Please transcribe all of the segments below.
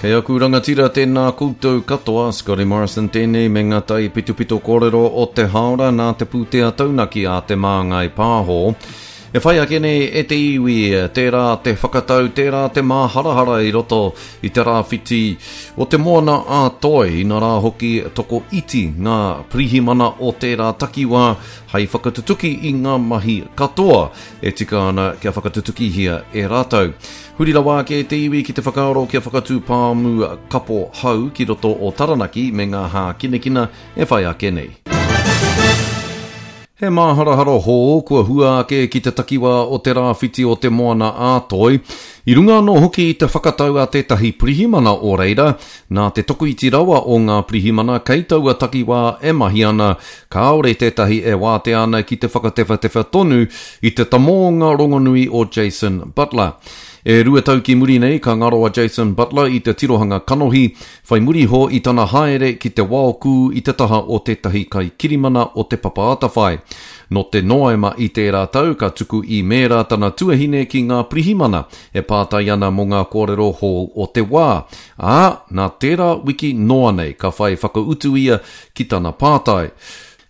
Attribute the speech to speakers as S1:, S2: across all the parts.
S1: Kei aku rangatira tēnā koutou katoa, Scotty Morrison tēnei me ngā tai pitopito kōrero o te hāora nā te pūtea taunaki a Te Māngai Pāho. E whai ake nei e te iwi, tērā te whakatau, tērā te māharahara i roto i te rāwhiti o te moana a Toi, inarā hoki toko iti ngā pirihimana o tērā takiwā hei whakatutuki i ngā mahi katoa e tika ana kia whakatutukihia e rātou. Huri rawa ake te iwi ki te whakaaro kia whakatū pāmu kapo hau ki roto o Taranaki me ngā hākinakina e whai ake nei. He māharahara hou kua hua ake ki te takiwā o te rāwhiti o Te Moana-a-Toi, i runga anō hoki i te whakatau a tētahi pirihimana o reira, nā te tokoiti rawa o ngā pirihimana kei taua takiwā e mahi ana, kāore tētahi e wātea ana ki te whakatewhatewha tonu i te tamōnga rongonui o Jason Butler. E rua tau ki muri nei ka ngaro a Jason Butler i te tirohanga kanohi, whai muri iho i tana haere ki te waokū i te taha o tētahi kaikirimana o Te Papa Atawhai. Nō te Noema i tērā tau ka tuku īmēra tana tuahine ki ngā pirihimana e pātai ana mō ngā kōrero hou o te wā, ā, nā tērā wiki noa nei ka whai whakautu ia ki tana pātai.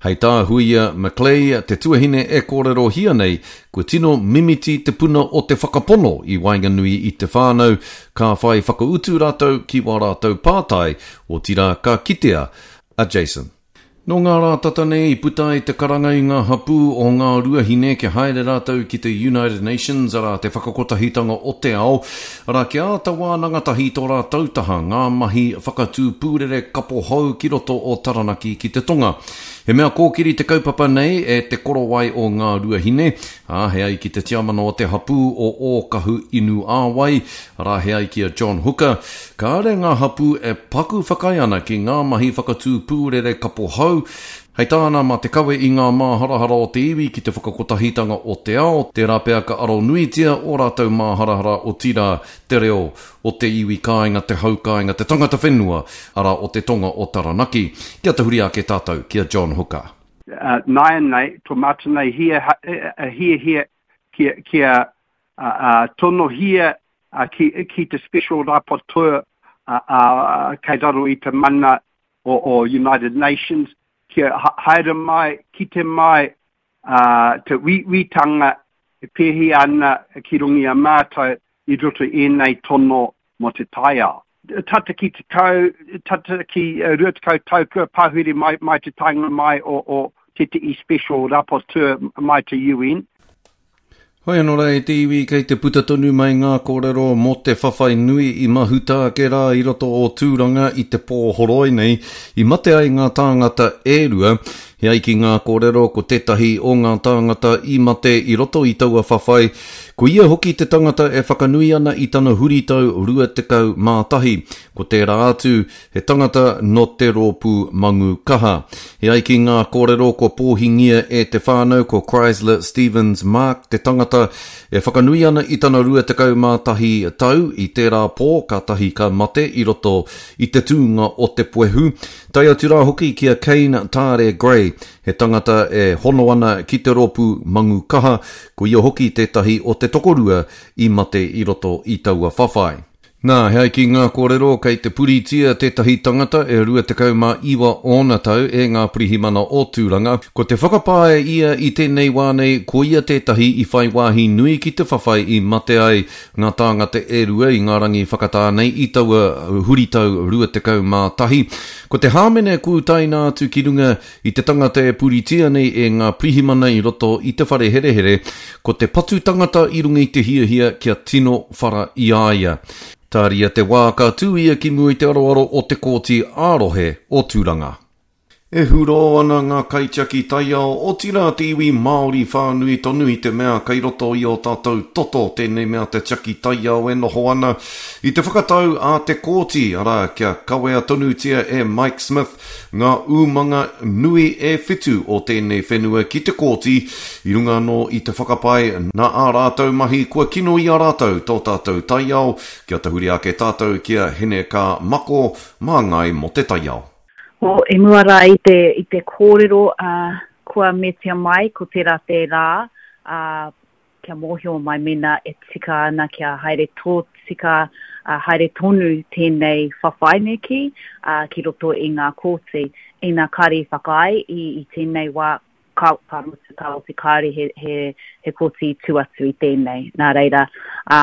S1: Hei tā Huia McLeay, te tuahine e kōrerohia nei, kua tino mimiti te puna o te whakapono i waenganui i te whānau, ka whai whakautu rātou ki wā rātou pātai, otirā ka kitea a Jason. Nō ngā rā tata nei i puta ai te karanga i ngā hapū o Ngā Ruahine kia haere rātou ki te United Nations, arā, te whakakotahitanga o te ao, arā, kia āta wānanga tahi tō rātou taha ngā mahi whakatū pūrere kapo hou ki roto o Taranaki ki te tonga. He mea kōkiri te kaupapa nei e Te Korowai o Ngā Ruahine, ā, he ai ki te tiamana o te hapū o Ōkahu Inu Āwai, arā, he ai ki a John Hooker, kāre ngā hapū e paku whakaae ana ki ngā mahi whakatū pūrere kapo hou, Hei tāna, mā te kawe i ngā māharahara o te iwi ki te whakakotahitanga o te ao, tērā pea ka aro nuitia ō rātou māharahara otirā, te reo o te iwi kāinga, te hau kāinga, te tangata whenua, arā, o te tonga o Taranaki. Kia tahuri ake tātou ki a John Hooker.
S2: Nāianei, tō mātou nei hiahia kia tonohia ki te Special Rapporteur kei raro i te mana o United Nations kia haere mai, kite mai te uiuitanga e pēhi ana ki runga i a mātou i roto i ēnei tono mō te taiao. Tata ki tekau, tata ki 20 tau kua pahure mai, mai te taenga mai o, o tētehi Special Rapporteur mai te UN.
S1: Hoi anō rā e te iwi kei te puta tonu mai ngā kōrero mō te whawhai nui i mahuta ake rā i roto o Tūranga i te pō horoi nei, i mate ai ngā tāngata e rua. He ai ki ngā kōrero ko tētahi o ngā tāngata i mate i roto i taua whawhai, ko ia hoki te tangata e whakanui ana i tana huritau 21. Ko tērā atu, He tangata nō te rōpū Mangu Kaha. E ai ki ngā kōrero kua pōhingia e te whānau ko Chrysler Stevens Mark te tangata e whakanui ana i tana 21 tau i tērā pō kātahi ka mate i roto i te tūnga o te puehu, tae atu rā hoki ki a Kane Taare Gray, he tangata e hono ana ki te rōpū Mangu Kaha, ko ia hoki tētahi o te tokorua i mate i roto i taua whawhai. Nā, he ai ki ngā kōrero, kei te puritia tētahi tangata e 29 ōna tau e ngā pirihimana o Tūranga. Ko te whakapae ia i tēnei wā nei, ko ia tētahi i whai wāhi nui ki te whawhai i mate ai ngā tāngata e rua i ngā rangi whakatā nei i taua huritau 21. Ko te hāmene kua utaina atu ki runga I te tangata e puritia nei e ngā pirihimana i roto i te whare herehere, ko te patu tangata i runga i te hiahia kia tino whara i a ia. Tāria te wā ka tū ia ki mua i te aroaro o te Kōti ā-Rohe o Tūranga. E hurō ana ngā kaitiaki taiao, otirā te iwi Māori whānui tonu i te mea kei roto i ō tātou toto tēnei mea te tiaki taiao e noho ana i te whakatau a te kōti, arā, kia kawea tonutia e Mike Smith Ngā umanga nui e whitu o tēnei whenua ki te kōti, i runga anō i te whakapae nā ā rātou mahi kua kino i a rātou tō tātou taiao, kia tahuri ake tātou ki a Hine Kā Mako, māngai mō te taiao.
S3: Well, i mua rā i te, i te kōrero, ā, kua metia mai ko tērā te rā, ā, kia mōhio mai mēnā e tika ana kia haere tōtika, ā, haere tonu tēnei whawhai me kī, ā, ki roto i ngā kōti. Ina kāre i whakaae i, i tēnei wā, ka, ka mutu, ka oti kāore he, he, he kōti i tū atu i tēnei. Nā reira, ā,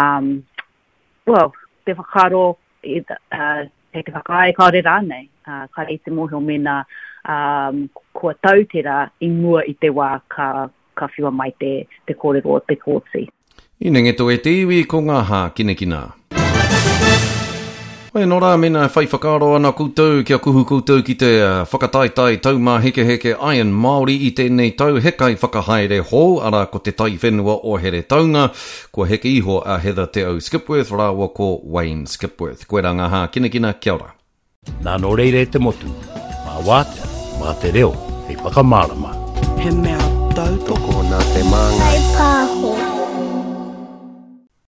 S3: well, te whakaaro, i, ā, kei te whakaae kāore rānei, ā, kāre i te mōhio mēnā, ā, kua tau tērā i mua i te wā ka, ka whiua mai te, te kōrero o te kōti.
S1: I Nengeto e te iwi ko ngā hākinakina. Hoi anō rā, mēnā e whai whakaaro ana koutou kia kuhu koutou ki te whakataetae taumāhekeheke Iron Māori i tēnei tau, he kaiwhakahaere hou, arā ko te taiwhenua o Heretaunga, kua heke iho a Heather Te Au Skipworth rāua ko Wayne Skipworth. Koirā ngā hākinakina, kia ora.
S4: Nā nō reira e te motu, mā wātea, mā te reo hei whakamārama.
S5: He mea tautoko.
S6: Tokona te māngai.